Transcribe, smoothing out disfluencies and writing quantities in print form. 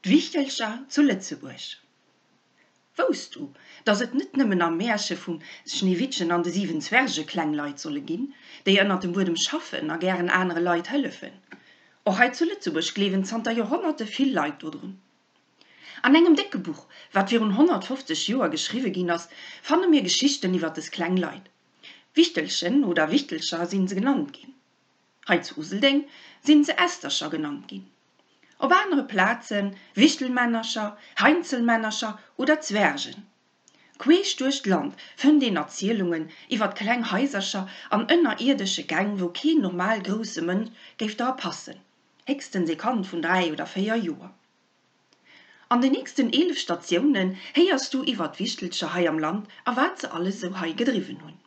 Wichtelcher zu Lëtzebuerg. Wousst du, dass et net nëmmen am Mäerche vum Schneewittchen an de 7 Zwerge kleng Leit solle ginn, déi ënnert dem Buedem schaffen a gären anere Leit hëllefen? Och hei zu Lëtzebuerg gleewen zanter Joerhonnerte vill Leit dodrun. An engem décke Buch, wat virun 150 Joer geschriwwe ginn ass, fanne mir Geschichten iwwer des kleng Leit. Wichtelchen oder Wichtelcher sinn se genannt ginn. Hei zu Useldeng sinn se Ästercher genannt ginn. Op anere Plazen Wichtelmännercher, Heinzelmännercher oder Zwergen. Queesch duerch d'Land fënnt een Erzielungen iwwert kleng Haisercher an ënnerierdesche Gäng, wou keen normal grousse Mënsch géif dra passen, héchstens ee Kand vun 3 oder 4 Joer. An den nächsten 11 Statiounen héiers du iwwert d'Wichtelcher hei am Land a wat se alles esou hei gedriwwen hunn.